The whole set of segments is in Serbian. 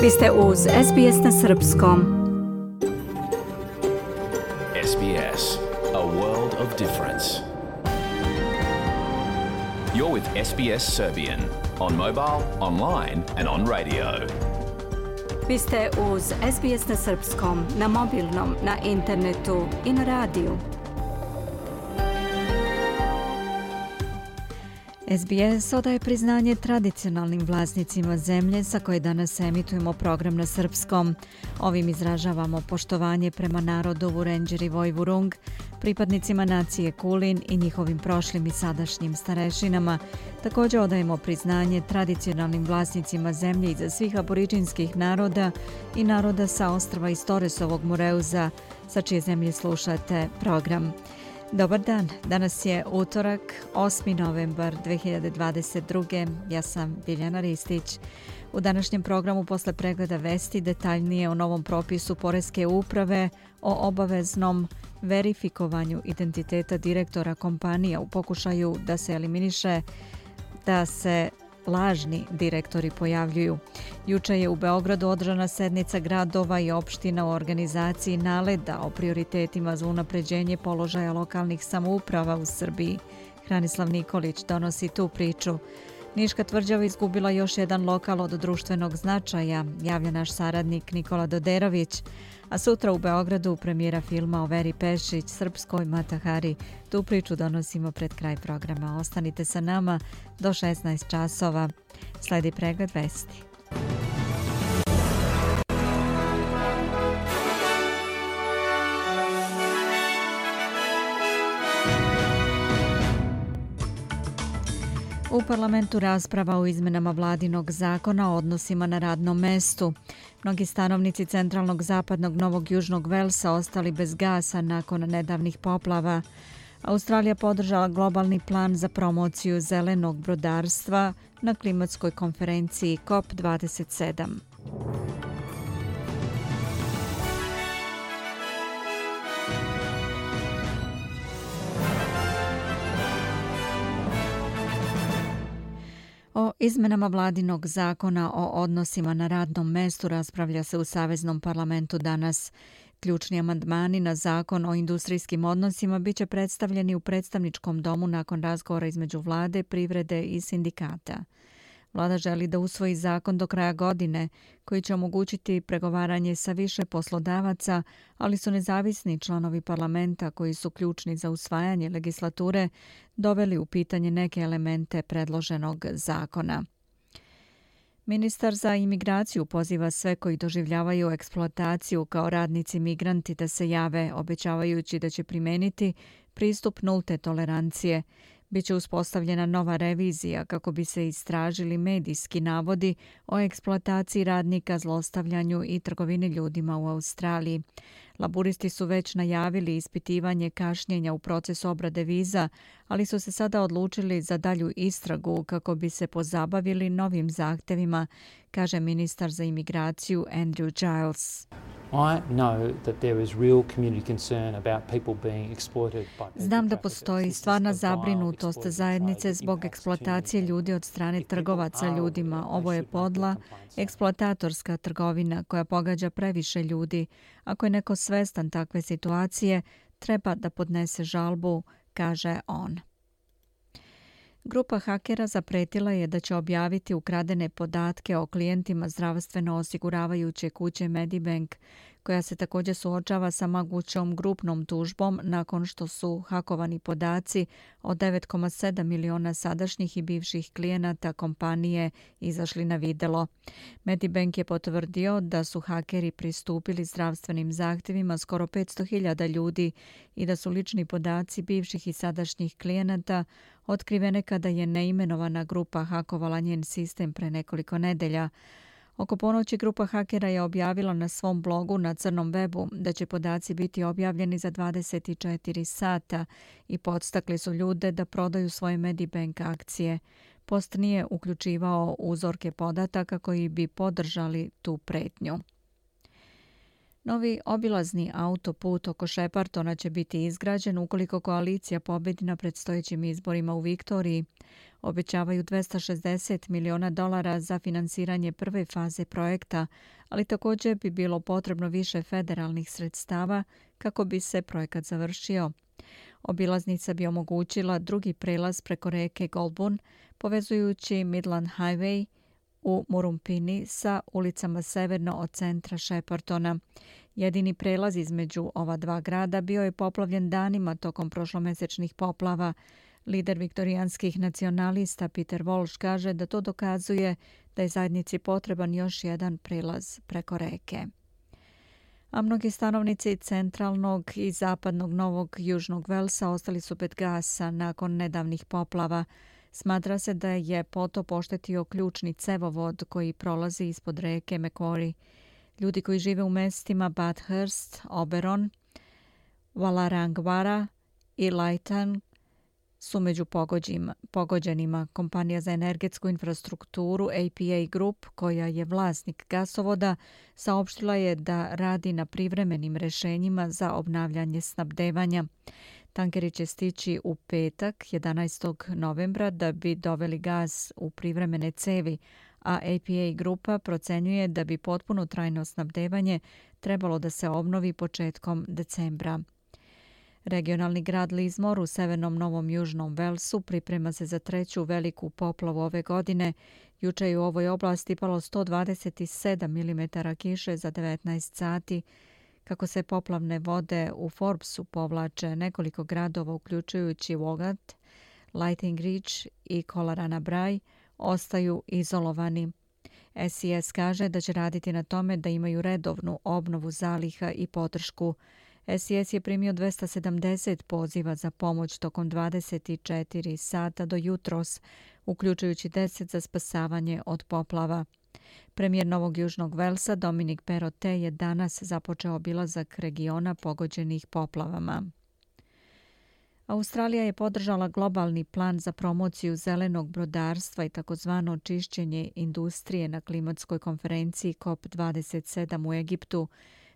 Vi ste uz SBS na srpskom. SBS, a world of difference. You're with SBS Serbian on mobile, online and on radio. Vi ste uz SBS na srpskom, na mobilnom, na internetu i na radiju. SBS odaje priznanje tradicionalnim vlasnicima zemlje sa koje danas emitujemo program na srpskom. Ovim izražavamo poštovanje prema narodu Vurenđer i Vojvurung, pripadnicima nacije Kulin i njihovim prošlim i sadašnjim starešinama. Također odajemo priznanje tradicionalnim vlasnicima zemlje iza svih aboriđinskih naroda i naroda sa ostrva iz Toresovog Moreuza, sa čije zemlje slušate program. Dobar dan, danas je utorak, 8. novembar 2022. Ja sam Biljana Ristić. U današnjem programu posle pregleda vesti detaljnije o novom propisu Poreske uprave o obaveznom verifikovanju identiteta direktora kompanija u pokušaju da se eliminiše da se lažni direktori pojavljuju. Juče je u Beogradu održana sednica gradova i opština u organizaciji NALED-a o prioritetima za unapređenje položaja lokalnih samouprava u Srbiji. Hranislav Nikolić donosi tu priču. Niška tvrđava izgubila još jedan lokal od društvenog značaja, javlja naš saradnik Nikola Doderović. A sutra u Beogradu premijera filma o Veri Pešić, srpskoj Matahari. Tu priču donosimo pred kraj programa. Ostanite sa nama do 16 časova. Sledi pregled vesti. U parlamentu rasprava o izmenama vladinog zakona o odnosima na radnom mestu. Mnogi stanovnici centralnog zapadnog Novog Južnog Velsa ostali bez gasa nakon nedavnih poplava. Australija podržala globalni plan za promociju zelenog brodarstva na klimatskoj konferenciji COP27. O izmenama vladinog zakona o odnosima na radnom mestu raspravlja se u Saveznom parlamentu danas. Ključni amandmani na zakon o industrijskim odnosima biće predstavljeni u predstavničkom domu nakon razgovora između vlade, privrede i sindikata. Vlada želi da usvoji zakon do kraja godine, koji će omogućiti pregovaranje sa više poslodavaca, ali su nezavisni članovi parlamenta koji su ključni za usvajanje legislature doveli u pitanje neke elemente predloženog zakona. Ministar za imigraciju poziva sve koji doživljavaju eksploataciju kao radnici migranti da se jave, obećavajući da će primeniti pristup nulte tolerancije. Biće uspostavljena nova revizija kako bi se istražili medijski navodi o eksploataciji radnika, zlostavljanju i trgovini ljudima u Australiji. Laburisti su već najavili ispitivanje kašnjenja u procesu obrade viza, ali su se sada odlučili za dalju istragu kako bi se pozabavili novim zahtevima, kaže ministar za imigraciju Andrew Giles. Znam da postoji stvarna zabrinutost zajednice zbog eksploatacije ljudi od strane trgovaca ljudima. Ovo je podla, eksploatatorska trgovina koja pogađa previše ljudi. Ako je neko svestan takve situacije, treba da podnese žalbu, kaže on. Grupa hakera zapretila je da će objaviti ukradene podatke o klijentima zdravstveno osiguravajuće kuće Medibank, koja se također suočava sa mogućom grupnom tužbom nakon što su hakovani podaci od 9,7 miliona sadašnjih i bivših klijenata kompanije izašli na videlo. Medibank je potvrdio da su hakeri pristupili zdravstvenim zahtjevima skoro 500.000 ljudi i da su lični podaci bivših i sadašnjih klijenata otkrivene kada je neimenovana grupa hakovala njen sistem pre nekoliko nedelja. Oko ponoći grupa hakera je objavila na svom blogu na crnom webu da će podaci biti objavljeni za 24 sata i podstakli su ljude da prodaju svoje Medibank akcije. Post nije uključivao uzorke podataka koji bi podržali tu pretnju. Novi obilazni autoput oko Sheppartona će biti izgrađen ukoliko koalicija pobedi na predstojećim izborima u Viktoriji. Obećavaju $260 miliona za finansiranje prve faze projekta, ali također bi bilo potrebno više federalnih sredstava kako bi se projekat završio. Obilaznica bi omogućila drugi prelaz preko reke Goulburn, povezujući Midland Highway u Murrumbidgee sa ulicama severno od centra Sheppartona. Jedini prelaz između ova dva grada bio je poplavljen danima tokom prošlomesečnih poplava. Lider viktorijanskih nacionalista Peter Walsh kaže da to dokazuje da je zajednici potreban još jedan prelaz preko reke. A mnogi stanovnici centralnog i zapadnog Novog Južnog Velsa ostali su bez gasa nakon nedavnih poplava. Smatra se da je potop oštetio ključni cevovod koji prolazi ispod reke Macquarie. Ljudi koji žive u mestima Bathurst, Oberon, Wallarangwara i Lytton su među pogođenima. Kompanija za energetsku infrastrukturu APA Group, koja je vlasnik gasovoda, saopštila je da radi na privremenim rešenjima za obnavljanje snabdevanja. Tankeri će stići u petak, 11. novembra, da bi doveli gas u privremene cevi, a APA grupa procenjuje da bi potpuno trajno snabdevanje trebalo da se obnovi početkom decembra. Regionalni grad Lismore u severnom Novom Južnom Velsu priprema se za treću veliku poplavu ove godine. Juče je u ovoj oblasti palo 127 mm kiše za 19 sati. Kako se poplavne vode u Forbesu povlače, nekoliko gradova, uključujući Woggat, Lighting Ridge i Collarana Bray, ostaju izolovani. SES kaže da će raditi na tome da imaju redovnu obnovu zaliha i podršku. SES je primio 270 poziva za pomoć tokom 24 sata do jutros, uključujući 10 za spasavanje od poplava. Premijer Novog Južnog Velsa Dominic Perrottet je danas započeo obilazak regiona pogođenih poplavama. Australija je podržala globalni plan za promociju zelenog brodarstva i takozvano čišćenje industrije na klimatskoj konferenciji COP27 u Egiptu.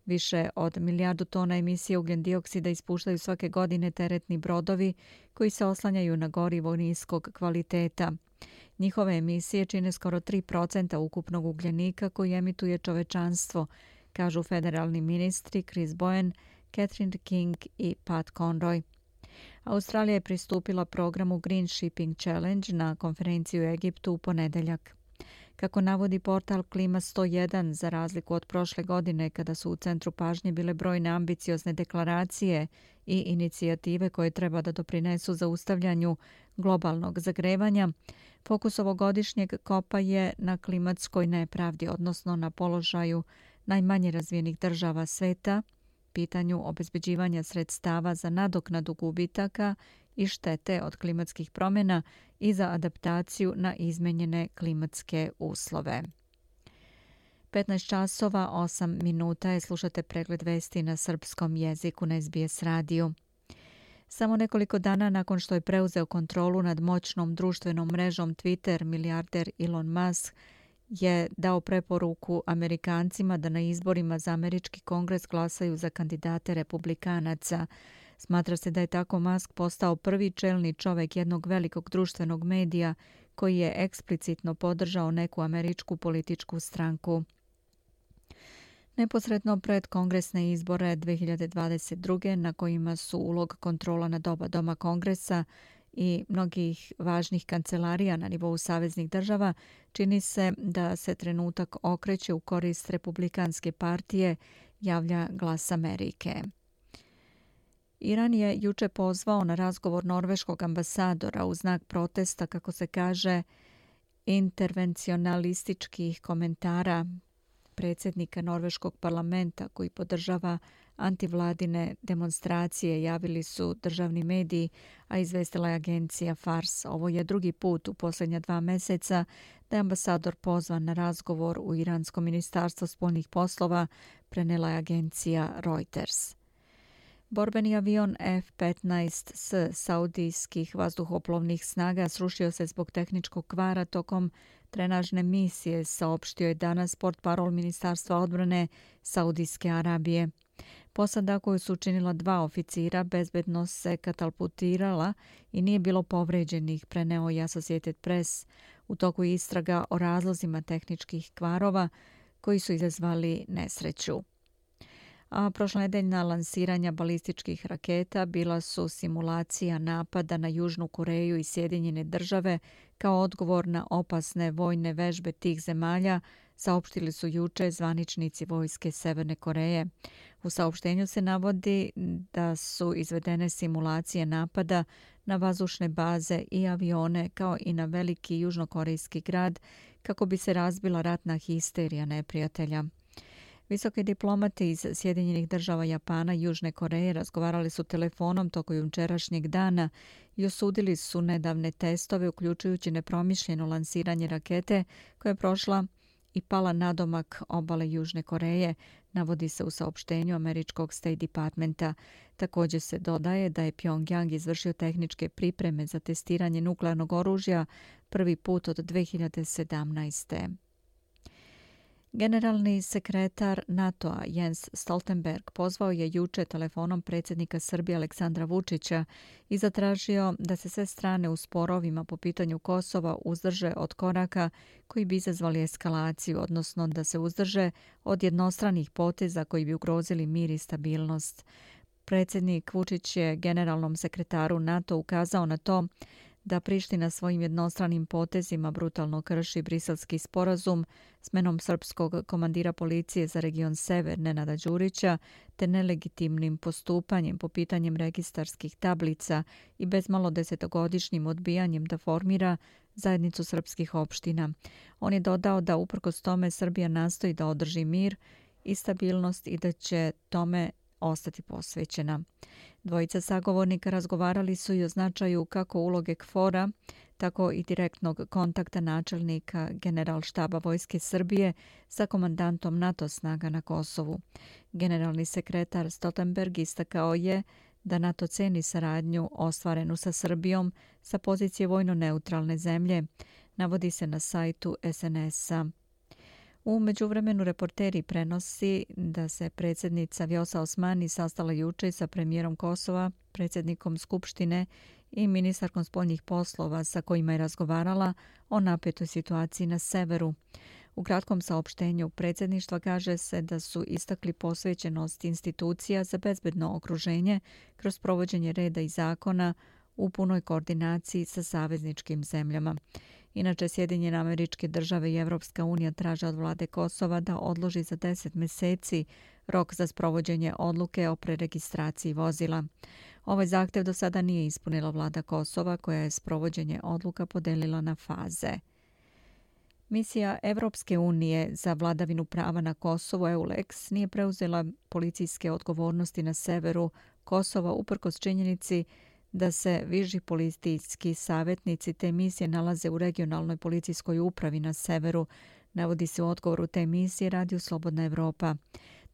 Više od 1 milijardu tona emisije ugljen-dioksida ispuštaju svake godine teretni brodovi koji se oslanjaju na gorivo niskog kvaliteta. Njihove emisije čine skoro 3% ukupnog ugljenika koji emituje čovečanstvo, kažu federalni ministri Chris Bowen, Catherine King i Pat Conroy. Australija je pristupila programu Green Shipping Challenge na konferenciju u Egiptu u ponedeljak. Kako navodi portal Klima 101, za razliku od prošle godine kada su u centru pažnje bile brojne ambiciozne deklaracije i inicijative koje treba da doprinesu zaustavljanju globalnog zagrevanja, fokus ovogodišnjeg kopa je na klimatskoj nepravdi, odnosno na položaju najmanje razvijenih država sveta, pitanju obezbeđivanja sredstava za nadoknadu gubitaka i štete od klimatskih promjena i za adaptaciju na izmenjene klimatske uslove. 15 časova 8 minuta je, slušate pregled vesti na srpskom jeziku na SBS radiju. Samo nekoliko dana nakon što je preuzeo kontrolu nad moćnom društvenom mrežom Twitter, milijarder Elon Musk je dao preporuku Amerikancima da na izborima za američki kongres glasaju za kandidate republikanaca. Smatra se da je tako Musk postao prvi čelni čovjek jednog velikog društvenog medija koji je eksplicitno podržao neku američku političku stranku. Neposredno pred kongresne izbore 2022. na kojima su ulog kontrola nad oba doma kongresa i mnogih važnih kancelarija na nivou saveznih država, čini se da se trenutak okreće u korist Republikanske partije, javlja Glas Amerike. Iran je juče pozvao na razgovor norveškog ambasadora u znak protesta, kako se kaže, intervencionalističkih komentara predsjednika norveškog parlamenta koji podržava antivladine demonstracije, javili su državni mediji, a izvestila je agencija Fars. Ovo je drugi put u posljednja 2 mjeseca da je ambasador pozvan na razgovor u Iransko ministarstvo spoljnih poslova, prenela je agencija Reuters. Borbeni avion F-15 s saudijskih vazduhoplovnih snaga srušio se zbog tehničkog kvara tokom trenažne misije, saopštio je danas portparol Ministarstva odbrane Saudijske Arabije. Posada koju su učinila 2 oficira bezbedno se katapultirala i nije bilo povređenih, preneo je Associated Press u toku istraga o razlozima tehničkih kvarova koji su izazvali nesreću. A prošlonedeljna lansiranja balističkih raketa bila su simulacija napada na Južnu Koreju i Sjedinjene Države kao odgovor na opasne vojne vežbe tih zemalja, saopštili su juče zvaničnici vojske Severne Koreje. U saopštenju se navodi da su izvedene simulacije napada na vazdušne baze i avione kao i na veliki južnokorejski grad kako bi se razbila ratna histerija neprijatelja. Visoki diplomati iz Sjedinjenih Država, Japana i Južne Koreje razgovarali su telefonom tokom jučerašnjeg dana i osudili su nedavne testove, uključujući nepromišljeno lansiranje rakete koja je prošla i pala nadomak obale Južne Koreje, navodi se u saopštenju američkog State Departmenta. Također se dodaje da je Pyongyang izvršio tehničke pripreme za testiranje nuklearnog oružja prvi put od 2017. Generalni sekretar NATO-a Jens Stoltenberg pozvao je juče telefonom predsjednika Srbije Aleksandra Vučića i zatražio da se sve strane u sporovima po pitanju Kosova uzdrže od koraka koji bi izazvali eskalaciju, odnosno da se uzdrže od jednostranih poteza koji bi ugrozili mir i stabilnost. Predsjednik Vučić je generalnom sekretaru NATO ukazao na to da Priština svojim jednostranim potezima brutalno krši Briselski sporazum, smenom srpskog komandira policije za region Sever Nenada Đurića te nelegitimnim postupanjem po pitanjem registarskih tablica i bezmalo 10-godišnjim odbijanjem da formira zajednicu srpskih opština. On je dodao da uprkos tome Srbija nastoji da održi mir i stabilnost i da će tome ostati posvećena. Dvojica sagovornika razgovarali su i o značaju kako uloge KFOR-a, tako i direktnog kontakta načelnika Generalštaba Vojske Srbije sa komandantom NATO snaga na Kosovu. Generalni sekretar Stoltenberg istakao je da NATO ceni saradnju ostvarenu sa Srbijom sa pozicije vojno-neutralne zemlje, navodi se na sajtu SNS-a. U međuvremenu reporteri prenosi da se predsjednica Vjosa Osmani sastala juče sa premijerom Kosova, predsjednikom Skupštine i ministarkom spoljnih poslova sa kojima je razgovarala o napetoj situaciji na severu. U kratkom saopštenju predsjedništva kaže se da su istakli posvećenost institucija za bezbedno okruženje kroz provođenje reda i zakona u punoj koordinaciji sa savezničkim zemljama. Inače, Sjedinjene Američke Države i Evropska unija traže od vlade Kosova da odloži za 10 mjeseci rok za sprovođenje odluke o preregistraciji vozila. Ovaj zahtev do sada nije ispunila vlada Kosova, koja je sprovođenje odluka podelila na faze. Misija Evropske unije za vladavinu prava na Kosovu, EULEX, nije preuzela policijske odgovornosti na severu Kosova uprkos činjenici da se viši policijski savjetnici te misije nalaze u regionalnoj policijskoj upravi na severu, navodi se u odgovoru te misije Radio Slobodna Evropa.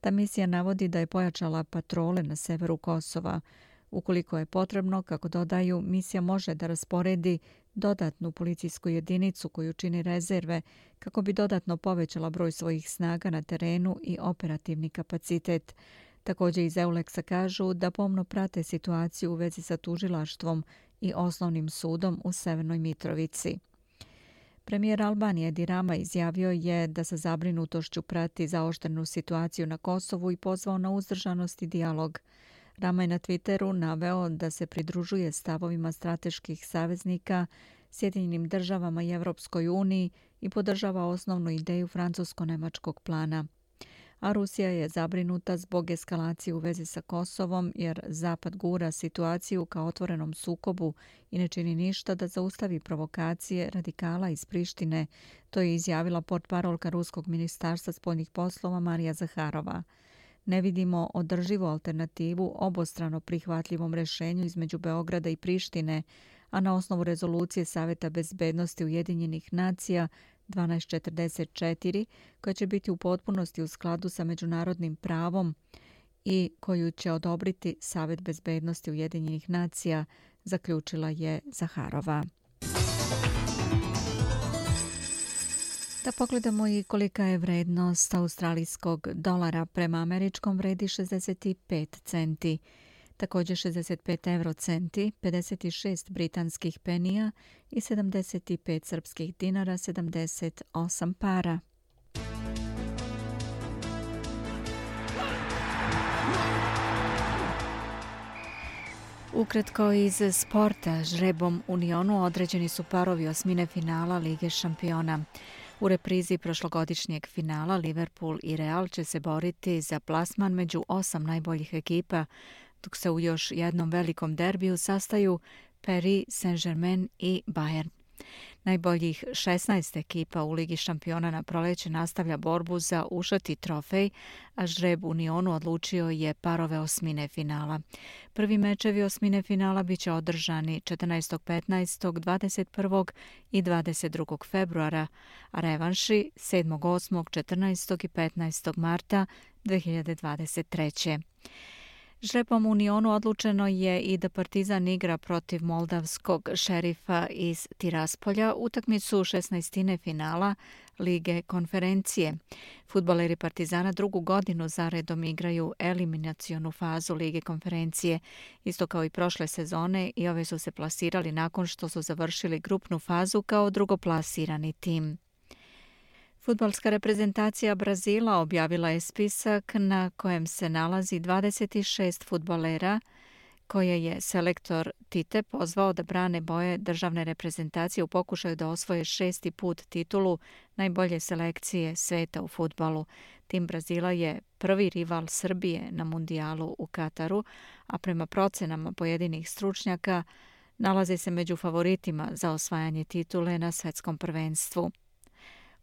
Ta misija navodi da je pojačala patrole na severu Kosova. Ukoliko je potrebno, kako dodaju, misija može da rasporedi dodatnu policijsku jedinicu koju čini rezerve kako bi dodatno povećala broj svojih snaga na terenu i operativni kapacitet. Također iz EULEX-a kažu da pomno prate situaciju u vezi sa tužilaštvom i osnovnim sudom u Severnoj Mitrovici. Premijer Albanije Edi Rama izjavio je da sa zabrinutošću prati zaoštrenu situaciju na Kosovu i pozvao na uzdržanost i dijalog. Rama je na Twitteru naveo da se pridružuje stavovima strateških saveznika Sjedinjenim Državama i Evropskoj uniji i podržava osnovnu ideju francusko-nemačkog plana. A Rusija je zabrinuta zbog eskalacije u vezi sa Kosovom jer Zapad gura situaciju ka otvorenom sukobu i ne čini ništa da zaustavi provokacije radikala iz Prištine. To je izjavila portparolka Ruskog ministarstva spoljnih poslova Marija Zaharova. Ne vidimo održivu alternativu obostrano prihvatljivom rješenju između Beograda i Prištine, a na osnovu rezolucije Saveta bezbednosti Ujedinjenih nacija 1244, koja će biti u potpunosti u skladu sa međunarodnim pravom i koju će odobriti Savet bezbednosti Ujedinjenih nacija, zaključila je Zaharova. Da pogledamo i kolika je vrednost australijskog dolara. Prema američkom vredi 65 centi, također 65 eurocenti, 56 britanskih penija i 75 srpskih dinara, 78 para. Ukratko iz sporta, žrebom Unionu određeni su parovi osmine finala Lige šampiona. U reprizi prošlogodišnjeg finala Liverpool i Real će se boriti za plasman među 8 najboljih ekipa, dok se u još jednom velikom derbiju sastaju Paris Saint-Germain i Bayern. Najboljih 16 ekipa u Ligi šampiona na proleće nastavlja borbu za ušati trofej, a žreb Unionu odlučio je parove osmine finala. Prvi mečevi osmine finala biće održani 14. 15. 21. i 22. februara, a revanši 7. 8. 14. i 15. marta 2023. Žrebom Unionu odlučeno je i da Partizan igra protiv moldavskog Šerifa iz Tiraspolja utakmicu 16. finala Lige konferencije. Fudbaleri Partizana drugu godinu zaredom igraju eliminacionu fazu Lige konferencije, isto kao i prošle sezone, i ove su se plasirali nakon što su završili grupnu fazu kao drugoplasirani tim. Fudbalska reprezentacija Brazila objavila je spisak na kojem se nalazi 26 fudbalera koje je selektor Tite pozvao da brane boje državne reprezentacije u pokušaju da osvoje 6. put titulu najbolje selekcije sveta u fudbalu. Tim Brazila je prvi rival Srbije na mundijalu u Kataru, a prema procenama pojedinih stručnjaka nalazi se među favoritima za osvajanje titule na svetskom prvenstvu.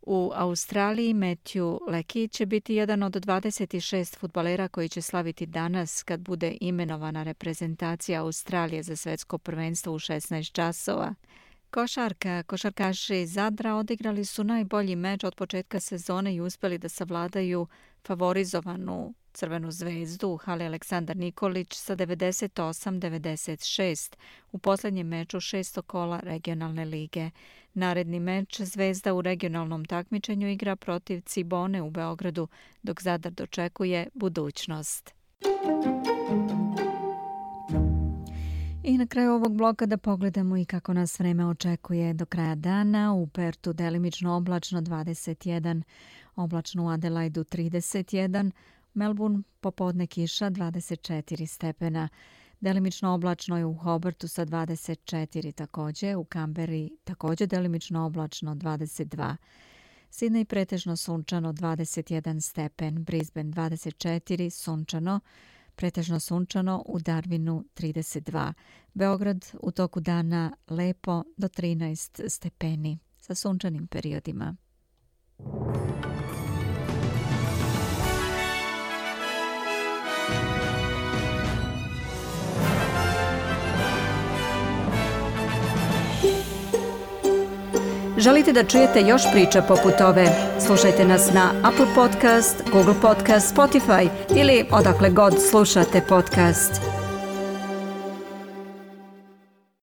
U Australiji Matthew Leckie će biti jedan od 26 fudbalera koji će slaviti danas kad bude imenovana reprezentacija Australije za svetsko prvenstvo u 16 časova. Košarkaši Zadra odigrali su najbolji meč od početka sezone i uspjeli da savladaju favorizovanu Crvenu zvezdu u hali Aleksandar Nikolić sa 98-96 u posljednjem meču 6. kola regionalne lige. Naredni meč Zvezda u regionalnom takmičenju igra protiv Cibone u Beogradu, dok Zadar dočekuje budućnost. I na kraju ovog bloka da pogledamo i kako nas vreme očekuje do kraja dana. U Pertu delimično oblačno 21, oblačno u Adelaidu 31, Melbourne popodne kiša 24 stepena. Delimično oblačno je u Hobartu sa 24 također, u Kamberi također delimično oblačno 22. Sidney pretežno sunčano 21 stepen, Brisbane 24, sunčano, pretežno sunčano, u Darwinu 32. Beograd u toku dana lepo do 13 stepeni sa sunčanim periodima. Želite da čujete još priča poput ove? Slušajte nas na Apple Podcast, Google Podcast, Spotify ili odakle god slušate podcast.